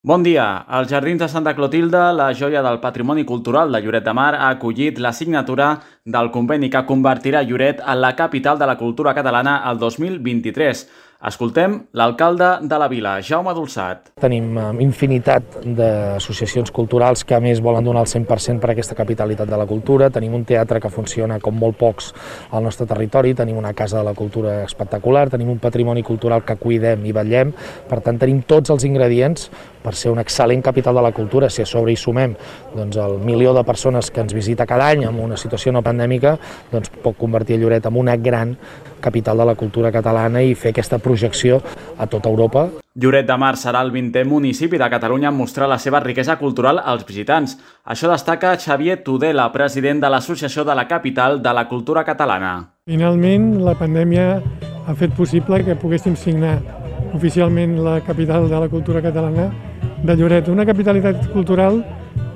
Bon dia. Els Jardins de Santa Clotilde, la joia del patrimoni cultural de Lloret de Mar, ha acollit la signatura del conveni que convertirà Lloret en la capital de la cultura catalana el 2023. Escoltem l'alcalde de la vila, Jaume Dolçat. Tenim infinitat d'associacions culturals que a més volen donar el 100% per a aquesta capitalitat de la cultura. Tenim un teatre que funciona com molt pocs al nostre territori, tenim una casa de la cultura espectacular, tenim un patrimoni cultural que cuidem i vetllem. Per tant, tenim tots els ingredients per ser una excel·lent capital de la cultura. Si a sobre hi sumem el milió de persones que ens visita cada any en una situació no pandèmica, pot convertir Lloret en una gran capital de la cultura catalana i fer aquesta projecció a tota Europa. Lloret de Mar serà el 20è municipi de Catalunya en mostrar la seva riquesa cultural als visitants. Això destaca Xavier Tudela, president de l'Associació de la Capital de la Cultura Catalana. Finalment, la pandèmia ha fet possible que poguéssim signar oficialment la capital de la cultura catalana de Lloret, una capitalitat cultural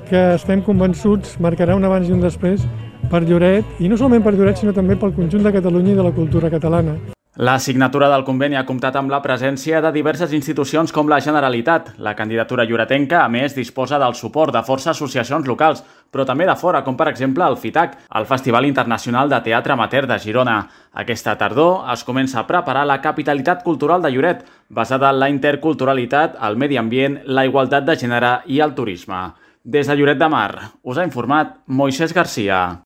que estem convençuts marcarà un abans i un després per Lloret, i no solament per Lloret, sinó també pel conjunt de Catalunya i de la cultura catalana. La signatura del conveni ha comptat amb la presència de diverses institucions com la Generalitat. La candidatura lloretenca, a més, disposa del suport de força associacions locals, però també de fora, com per exemple el FITAC, el Festival Internacional de Teatre Amateur de Girona. Aquesta tardor es comença a preparar la capitalitat cultural de Lloret, basada en la interculturalitat, el medi ambient, la igualtat de gènere i el turisme. Des de Lloret de Mar, us ha informat Moisés Garcia.